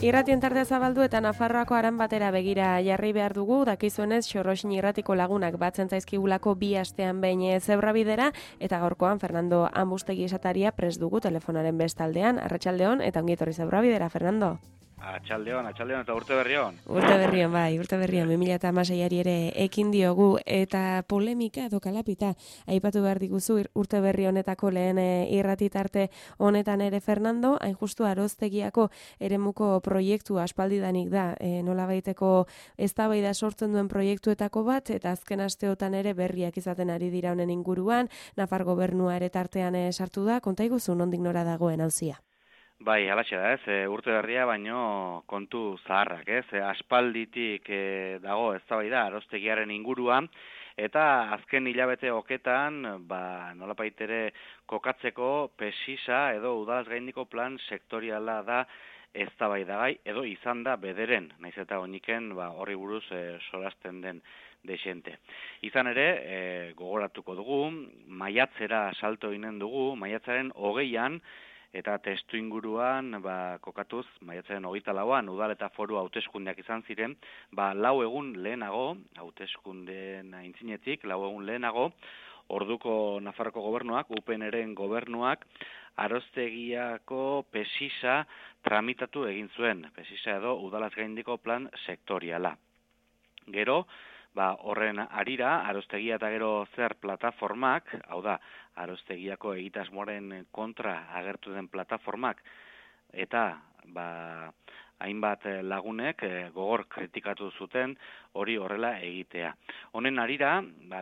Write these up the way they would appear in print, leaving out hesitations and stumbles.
Irratien tartea zabaldu eta Nafarroako aran batera begira jarri behar dugu, dakizuenez Xorroxin irratiko lagunak batzen zaizkigulako 2 astean behin Zebrabidera, eta gaurkoan Fernando Ambustegi esataria prest dugu telefonaren bestaldean. Arratsaldeon eta ongi etorri Zebrabidera, Fernando. Atxaldeon eta urte berrion. Urte berrion, 2016ari ere ekin diogu, eta polemika edo kalapita aipatu behar diguzu urte berri honetako lehen irratitarte honetan ere, Fernando, hain justu Aroztegiako eremuko proiektu aspaldidanik da, nolabaiteko eztabaida sortzen duen proiektuetako bat, eta azken asteotan ere berriak izaten ari dira honen inguruan, Nafar gobernua ere tartean sartu da, konta iguzu nondik nora dagoen auzia. Bai, alaxe da, urte berria baino kontu zaharrak, aspalditik dago eztabaida Aroztegiaren inguruan, eta azken hilabete hoketan, nolapait ere kokatzeko pesisa edo udalaz gaindiko plan sektoriala da eztabaidagai edo izan da bederen, naiz eta oniken horri buruz solasten den desente. Izan ere, gogoratuko dugu, maiatzera salto inen dugu, maiatzaren 20an, eta testu inguruan, kokatuz, maiatzaren 24an, udal eta foru hauteskundeak izan ziren, 4 egun lehenago, hauteskundeen aintzinetik, 4 egun lehenago, orduko Nafarroko gobernuak, UPNren gobernuak, Aroztegiako pesisa tramitatu egin zuen, pesisa edo udalaz gaindiko plan sektoriala. Gero, horren arira, Aroztegia eta gero zer plataformak, hau da, Aroztegiako egitasmoaren kontra agertu den plataformak, eta hainbat lagunek gogor kritikatu zuten hori horrela egitea. Honen arira,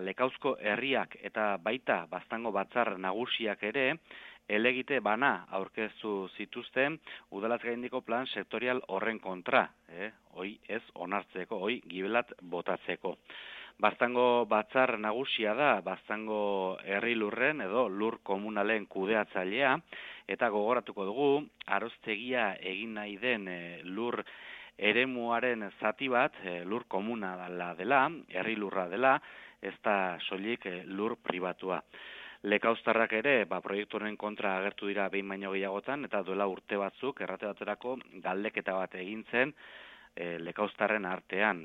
Lekauzko herriak eta baita Baztango batzar nagusiak ere, elegite bana aurkeztu zituzten udalaz gaindiko plan sektorial horren kontra, hoi ez onartzeko, hoi gibelat botatzeko. Baztango batzar nagusia da, Baztango herri lurren edo lur komunalen kudeatzailea, eta gogoratuko dugu, Aroztegia egin nahi den lur eremuaren zati bat, lur komunala dela, herri lurra dela, ez da soilik lur pribatua. Lekauztarrak ere, proiektuaren kontra agertu dira behin baino gehiagotan, eta duela urte batzuk, errate baterako galdeketa bat egin zen, Lekauztarren artean,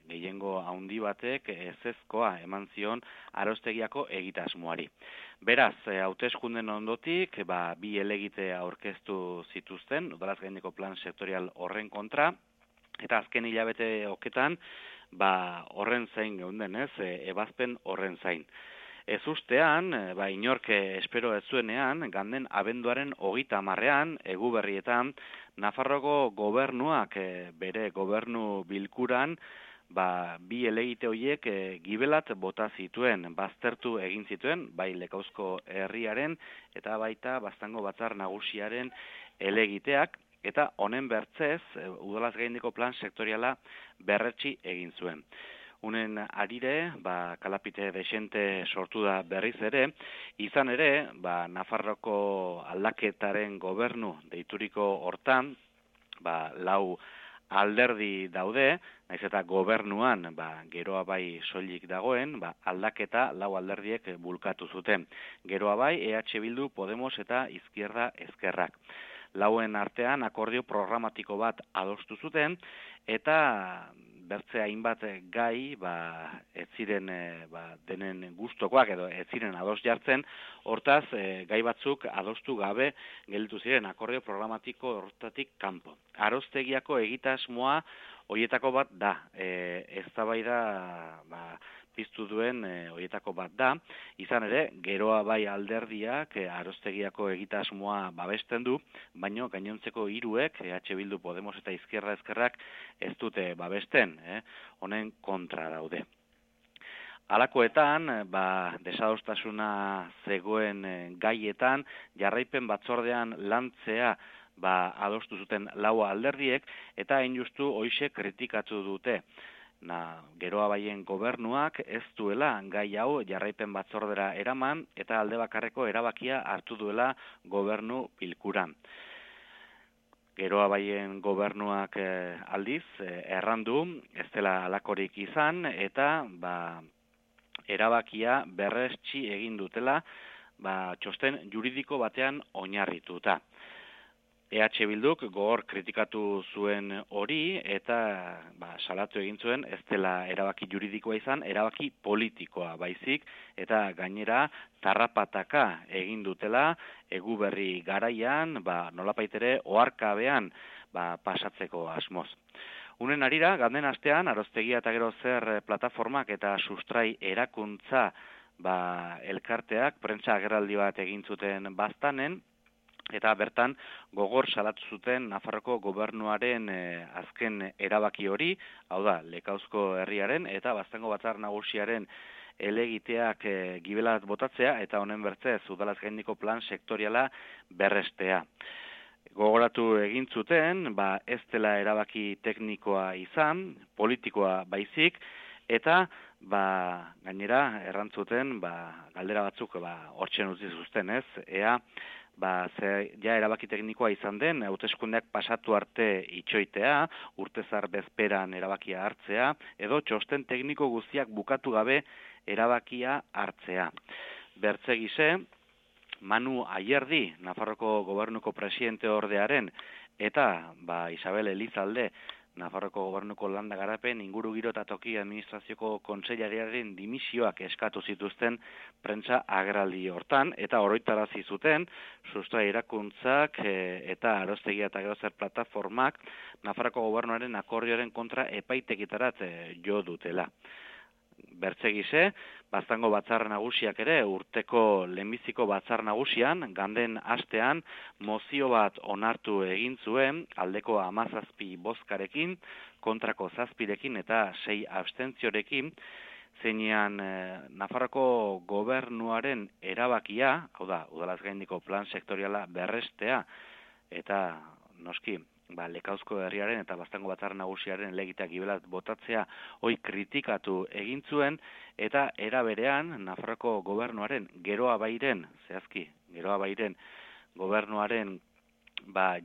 gehiengo handi batek ezezkoa eman zion Aroztegiako egitasmoari. Beraz, hauteskunden ondotik, 2 elegite aurkeztu zituzten, udalaz gaindiko plan sektorial horren kontra, eta azken hilabete hoketan, horren zain geunden, ebazpen horren zain. Ez ustean, inork espero ez zuenean, ganden abenduaren 30ean, Eguberrietan, Nafarroko gobernuak bere gobernu bilkuran, 2 elegite horiek gibelat bota zituen, baztertu egin zituen, bai Lekauzko herriaren eta baita Baztango batzar nagusiaren elegiteak, eta honen bertzez, udalaz gaindiko plan sektoriala berretsi egin zuen. Unen arire, kalapite desente sortu da berriz ere, izan ere, Nafarroko aldaketaren gobernu deituriko hortan, 4 alderdi daude, naiz eta gobernuan, geroa bai soilik dagoen, aldaketa 4 alderdiek bulkatu zuten. Geroa bai, EH Bildu, Podemos eta Izquierda Ezkerrak. 4en artean akordio programatiko bat adostu zuten, eta bertze hainbat gai, ez ziren denen gustokoak edo ez ziren ados jartzen, hortaz gai batzuk adostu gabe gelditu ziren akordio programatiko hortatik kanpo. Aroztegiako egitasmoa horietako bat da, eztabaida piztu duen horietako bat da, izan ere, geroa bai alderdiak Aroztegiako egitasmoa babesten du, baino gainontzeko 3ek, EH Bildu, Podemos eta Izquierda Ezkerrak ez dute babesten, honen kontra daude. Halakoetan, desadostasuna zegoen gaietan, jarraipen batzordean lantzea adostu zuten 4 alderdiek, eta hain justu hoixe kritikatu dute. Geroa baien gobernuak ez duela gai hau jarraipen batzordera eraman eta alde bakarreko erabakia hartu duela gobernu bilkuran. Geroa baien gobernuak aldiz errandu, ez dela halakorik izan eta erabakia berretsi egin dutela txosten juridiko batean oinarrituta. EH Bilduk gogor kritikatu zuen hori eta salatu egin zuen ez dela erabaki juridikoa izan, erabaki politikoa baizik eta gainera tarrapataka egin dutela Eguberri garaian, nolapaitere oharkabean pasatzeko asmoz. Unen arira, ganden astean, Aroztegia eta gero zer plataformak eta sustrai erakuntza elkarteak prentsa agerraldi bat egin zuten Baztanen, eta bertan gogor salatu zuten Nafarroko gobernuaren azken erabaki hori, hau da, Lekauzko herriaren eta Baztango Batzar Nagusiaren elegiteak gibelat botatzea eta honen bertzez udalaz gaindiko plan sektoriala berrestea. Gogoratu egin zuten, ez dela erabaki teknikoa izan, politikoa baizik, eta gainera errantzuten galdera batzuk hortzen utzi zuzten, ez? Ea ja erabaki teknikoa izan den, hauteskundeak pasatu arte itxoitea, urtezar bezperan erabakia hartzea, edo txosten tekniko guztiak bukatu gabe erabakia hartzea. Bertzegize, Manu Ayerdi, Nafarroko gobernuko presidente ordearen, eta Isabel Elizalde, Nafarroko gobernuko landa garapen, ingurugiro eta toki administrazioko kontseilariaren dimisioak eskatu zituzten prentsa agerraldi hortan, eta oroitarazi zuten, sustrai erakuntzak eta Aroztegia eta gero zer plataformak Nafarroko gobernuaren akordioaren kontra epaitekitarat jo dutela. Bertzegize, Baztango Batzar Nagusiak ere urteko lehenbiziko Batzar Nagusian, ganden astean mozio bat onartu egin zuen, aldeko 17 bozkarekin, kontrako 7rekin eta 6 abstentziorekin, zeinean Nafarroko gobernuaren erabakia, hau da, udalaz gaindiko plan sektoriala berrestea, eta noski, Lekauzko herriaren eta Baztango Batzar Nagusiaren elegiteak gibelat botatzea hoi kritikatu egin zuen, eta era berean Nafarroko gobernuaren Geroa Bairen gobernuaren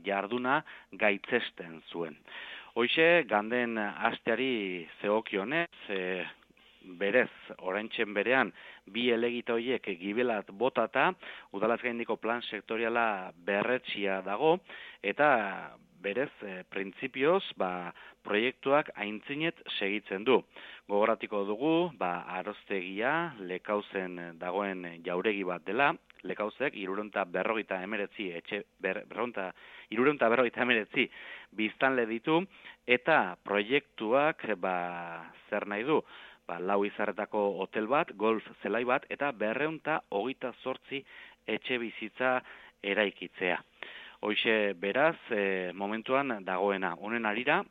jarduna gaitzesten zuen. Hoixe, ganden asteari zegokionez, berez, oraintzen berean, bi elegite horiek gibelat botata, udalaz gaindiko plan sektoriala berretsia dago, eta berez, printzipioz, proiektuak aintzinet segitzen du. Gogoratiko dugu, Aroztegia, Lekauzen dagoen jauregi bat dela, Lekauzek 349 biztanle ditu, eta proiektuak, zer nahi du, 4 izarretako hotel bat, golf zelai bat, eta 228 etxe bizitza eraikitzea. Hoixe beraz, momentuan dagoena. Honen arira,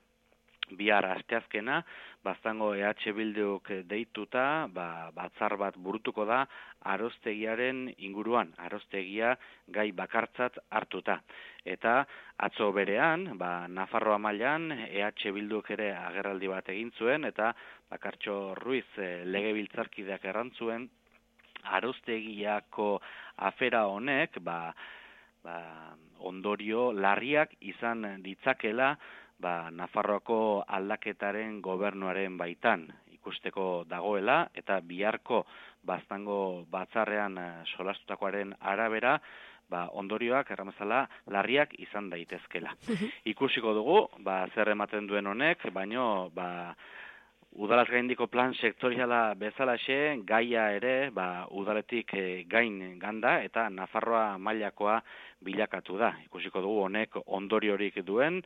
bihar asteazkena, Baztango EH Bilduk deituta, batzar bat burutuko da Aroztegiaren inguruan, Aroztegia gai bakartzat hartuta. Eta atzo berean, Nafarroa mailan EH Bilduk ere agerraldi bat egin zuen, eta Bakartxo Ruiz legebiltzarkideak errantzuen, Aroztegiako afera honek, ondorio larriak izan ditzakela Nafarroako aldaketaren gobernuaren baitan ikusteko dagoela, eta biharko Baztango batzarrean solastutakoaren arabera ondorioak erramezala larriak izan daitezkela. Ikusiko dugu, zer ematen duen honek, baino udalaz gaindiko plan sektoriala bezalaxe, gaia ere udaletik gain ganda eta Nafarroa mailakoa bilakatu da. Ikusiko dugu honek ondoriorik duen,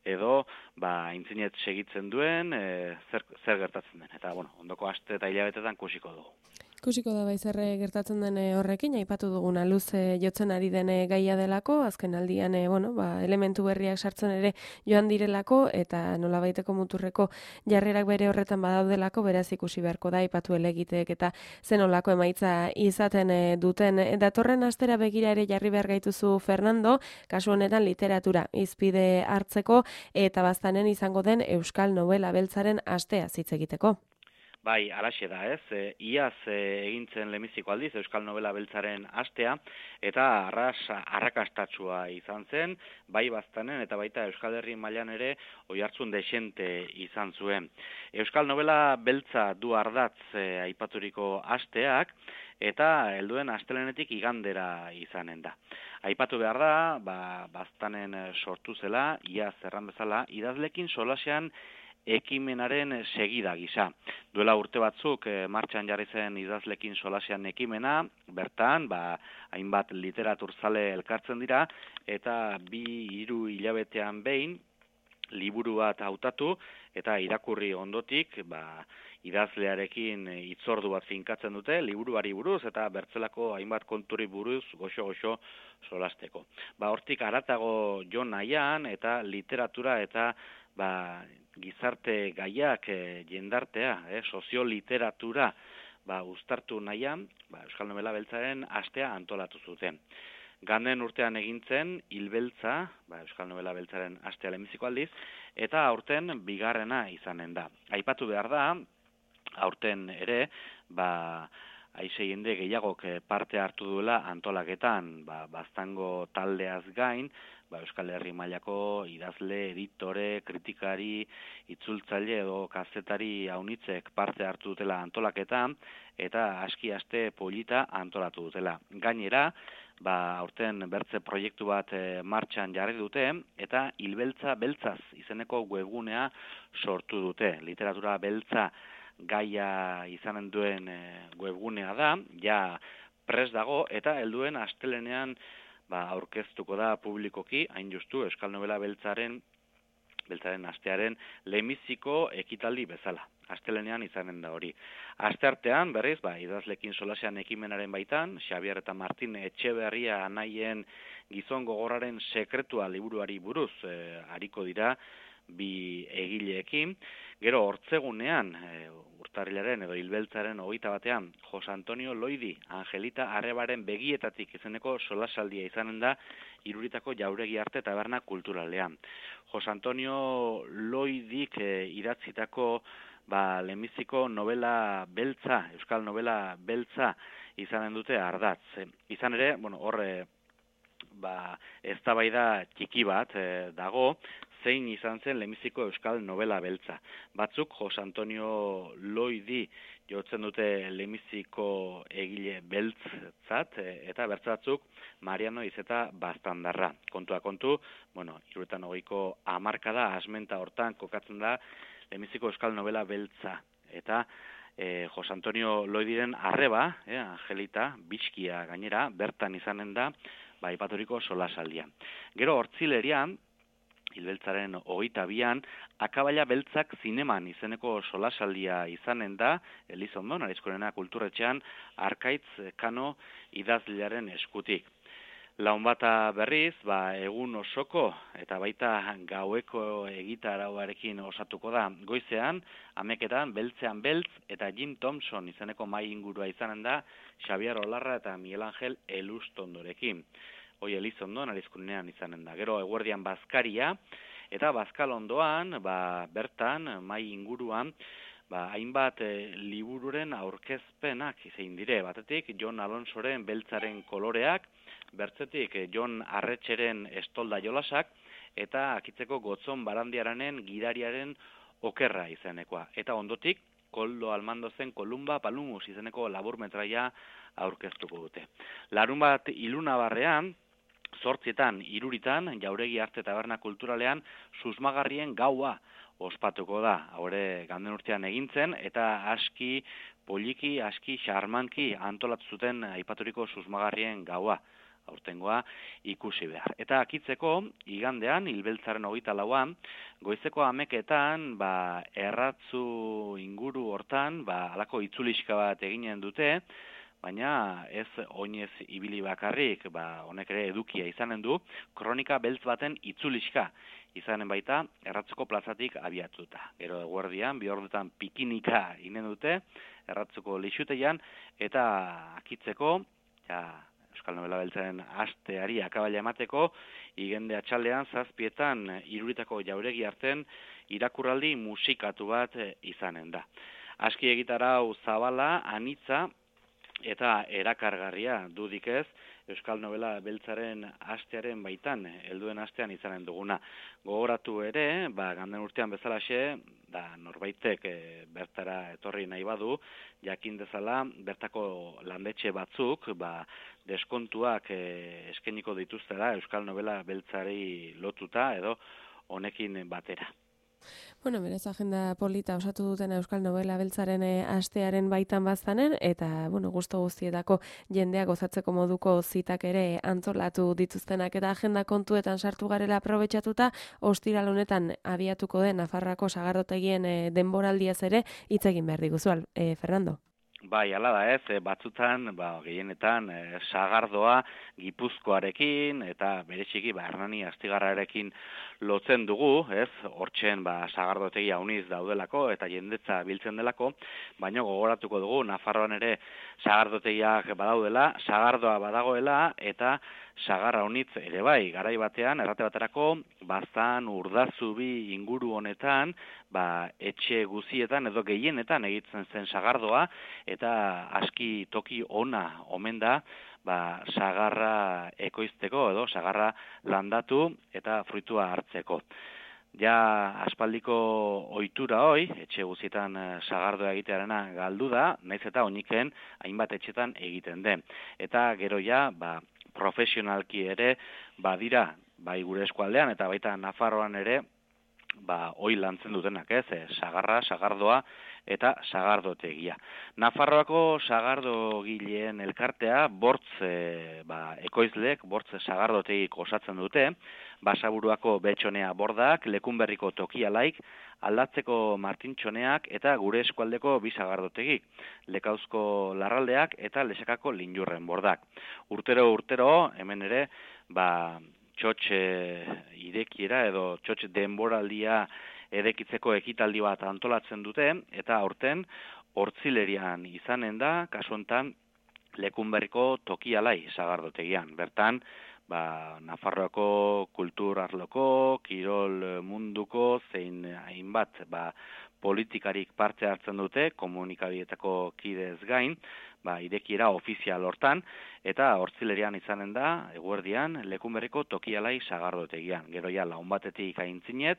edo aintzinet segitzen duen, zer gertatzen den. Eta ondoko aste eta hilabetetan ikusiko dugu. Ikusiko da zer gertatzen den horrekin, aipatu duguna luze jotzen ari den gaia delako, azken aldian elementu berriak sartzen ere joan direlako, eta nolabaiteko muturreko jarrerak bere horretan badaudelako, beraz ikusi beharko da, aipatu elegiteek eta zenolako emaitza izaten duten. Datorren astera begira ere jarri behar gaituzu, Fernando, kasu honetan literatura hizpide hartzeko, eta Baztanen izango den Euskal Nobela Beltzaren astea hitz egiteko. Bai, alaxe da, ez? Iaz egintzen lehenbiziko aldiz Euskal Nobela Beltzaren astea, eta arrakastatsua izan zen, bai Baztanen eta baita Euskal Herri mailan ere oihartzun dexente izan zuen. Euskal Nobela Beltza du ardatz aipaturiko asteak, eta helduen astelenetik igandera izanen da. Aipatu behar da, Baztanen sortu zela, iaz erran bezala, idazlekin solasean ekimenaren segida gisa. Duela urte batzuk martxan jarri zen idazlekin solasean ekimena, bertan, hainbat literaturzale elkartzen dira, eta 2-3 hilabetean behin, liburu bat hautatu, eta irakurri ondotik, idazlearekin hitzordu bat finkatzen dute, liburuari buruz, eta bertzelako hainbat konturi buruz goxo-goxo solasteko. Hortik haratago jo nahian, eta literatura eta gizarte gaiak jendartea, sozioliteratura uztartu nahian, Euskal Nobela Beltzaren astea antolatu zuten. Ganden urtean egintzen Hilbeltza, Euskal Nobela Beltzaren astea lehenbiziko aldiz, eta aurten bigarrena izanen da. Aipatu behar da, aurten ere, aize jende gehiagok parte hartu duela antolaketan, Baztango taldeaz gain, Euskal Herri mailako idazle, editore, kritikari, itzultzaile edo kazetari haunitzek parte hartu dutela antolaketan, eta aski aste polita antolatu dutela. Gainera, aurten bertze proiektu bat martxan jarri dute, eta Hilbeltza Beltzaz izeneko webgunea sortu dute. Literatura beltza gaia izanen duen webgunea da, ja prest dago, eta helduen astelenean aurkeztuko da publikoki, hain justu Euskal Nobela Beltzaren astearen lehenbiziko ekitaldi bezala. Astelenean izanen da hori. Asteartean, berriz, idazlekin solasean ekimenaren baitan, Xabier eta Martin Etxeberria anaien gizon gogorraren sekretua liburuari buruz ariko dira bi egileekin. Gero hortzegunean, urtarrilaren edo Hilbeltzaren 21ean, Jose Antonio Loidi, Angelita Arrebaren begietatik izeneko solasaldia izanen da Iruritako Jauregi Arte Taberna Kulturalean. Jose Antonio Loidik idatzitako lehenbiziko novela beltza, Euskal Nobela Beltza izanen dute ardatz. Izan ere, hor eztabaida txiki bat dago, zein izan zen lehenbiziko Euskal Nobela Beltza. Batzuk Jose Antonio Loidi jotzen dute lehenbiziko egile beltzat, eta bertzatzuk Mariano Izeta Baztandarra. Kontua kontu, 1920ko hamarkada asmenta hortan kokatzen da lehenbiziko Euskal Nobela Beltza. Eta Jose Antonio Loidiren arreba, Angelita, Bizkia gainera, bertan izanen da, aipaturiko solasaldia. Gero hortzilerian, Hilbeltzaren 22an, Akabaila Beltzak zineman izeneko solasaldia izanen da, Elizondon, Arizkorena kulturretxean, Arkaitz Kano idazlearen eskutik. Launbata berriz, egun osoko eta baita gaueko egitarauarekin osatuko da. Goizean, ameketan, Beltzean Beltz eta Jim Thompson izeneko mai ingurua izanen da, Xabier Olarra eta Miguel Angel Elustondorekin. Hoi Elizondon, Arizkunean izanen da. Gero eguerdian Bazkaria, eta Bazkalondoan, bertan, mai inguruan, hainbat libururen aurkezpenak izein dire. Batetik, Jon Alonsoren Beltzaren koloreak, bertzetik Jon Arretxeren Estolda jolasak, eta Akitzeko Gotzon Barandiaranen gidariaren okerra izenekoa. Eta ondotik, Koldo Almandozen Kolumba Palumus izeneko laburmetraia aurkeztuko dute. Larunbat ilunabarrean, 8etan, 3etan, Jauregi Arte Taberna Kulturalean, susmagarrien gaua ospatuko da. Haure ganden urtean egintzen, eta aski poliki, aski xarmanki antolatu zuten aipaturiko susmagarrien gaua. Aurtengoa ikusi behar. Eta Akitzeko, igandean, Hilbeltzaren 24an, goizeko ameketan, erratzu inguru hortan, halako itzuliska bat eginen dute, baina ez oinez ibili bakarrik, honek ere edukia izanen du, kronika beltz baten itzuliska izanen baita, erratzuko plazatik abiatuta. Gero eguerdian, 2 ordutan pikinika inen dute, erratzuko lixutean, eta Akitzeko, Euskal Nobela Beltzaren asteari akabaila emateko, igende atxaldean 7etan Iruritako Jauregi Arten irakurraldi musikatu bat izanen da. aski egitarau zabala, anitza, eta erakargarria dudik ez, Euskal Novela Beltzaren astearen baitan, helduen astean izanen duguna. Gogoratu ere, ganden urtean bezalaxe, norbaitek bertara etorri nahi badu, jakin dezala, bertako landetxe batzuk, deskontuak eskainiko dituztera Euskal Novela Beltzari lotuta edo honekin batera. Bueno, berez agenda polita osatu duten Euskal Novela Beltzaren astearen baitan bazanen, eta, gusto guztietako jendeak gozatzeko moduko zitak ere antolatu dituztenak, eta agenda kontuetan sartu garela aprobetxatuta, ostiral honetan abiatuko den Nafarroako sagardotegien denboraldiaz ere hitz egin behar diguzu, Fernando. Bai, hala da ez, batzutan, gehienetan, sagardoa Gipuzkoarekin eta bereziki Hernani Astigarrarekin lotzen dugu, ez, hortzen sagardotegia uniz daudelako eta jendetza biltzen delako, baina gogoratuko dugu, Nafarroan ere sagardotegiak badaudela, sagardoa badagoela eta sagarra unitz ere bai, garai batean, errate baterako, Baztan, Urdazubi inguru honetan, etxe guzietan edo gehienetan egitzen zen sagardoa, eta aski toki ona omen da, sagarra ekoizteko edo sagarra landatu eta fruitua hartzeko. Ja aspaldiko ohitura hoi, etxe guzietan sagardoa egitearena galdu da, naiz eta oiniken hainbat etxetan egiten den. Eta gero ja, profesionalki ere badira, bai gure eskualdean eta baita Nafarroan ere, hoi lantzen dutenak, ez, sagarra, sagardoa eta sagardotegia. Nafarroako sagardogileen elkartea bortz ekoizleek, bortz sagardotegik osatzen dute, Basaburuako Betxonea bordak, Lekunberriko Tokialaik, Aldatzeko Martintxoneak eta gure eskualdeko bi sagardotegik, Lekauzko Larraldeak eta Lesakako Linjurren bordak. Urtero, hemen ere, txotx irekiera edo txotx denboraldia erekitzeko ekitaldi bat antolatzen dute, eta aurten Hortzilerian izanen da, kasu honetan Lekunberriko Tokialai sagardotegian. Bertan, Nafarroako kultur arloko, kirol munduko, zein hainbat politikarik parte hartzen dute, komunikabietako kidez gain, irekiera ofizial hortan, eta Hortzilerian izanen da, eguerdian, Lekunberriko Tokialai sagardotegian. Gero ja, laun batetik aintzinet,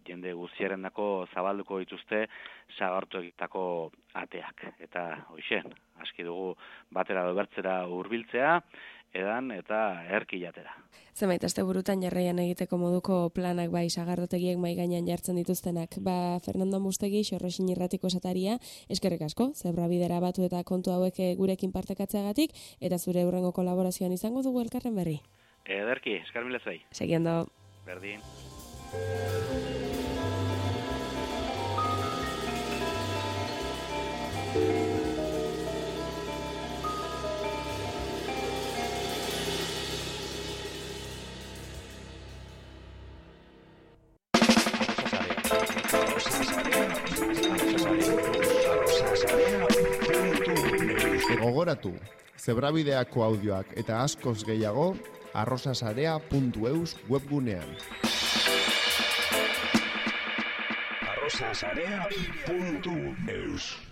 jende guztiarendako zabalduko dituzte sagardotegitako ateak. Eta, hoixen, aski dugu batera dobertzera hurbiltzea, edan eta erki jatera. Zenbait asteburutan jarraian egiteko moduko planak sagardotegiek mai gainean jartzen dituztenak. Fernando Mustegi, Xorroxin Irratiko esataria, eskerrik asko, Zebrabidera batu eta kontu hauek gurekin partekatzeagatik, eta zure hurrengo kolaborazioan izango dugu elkarren berri. Ederki, eskar mila zuei. Segiendo. Berdin. Gogoratu, Zebrabideako audioak eta askoz gehiago arrosasarea.eus webgunean. arrosasarea.eus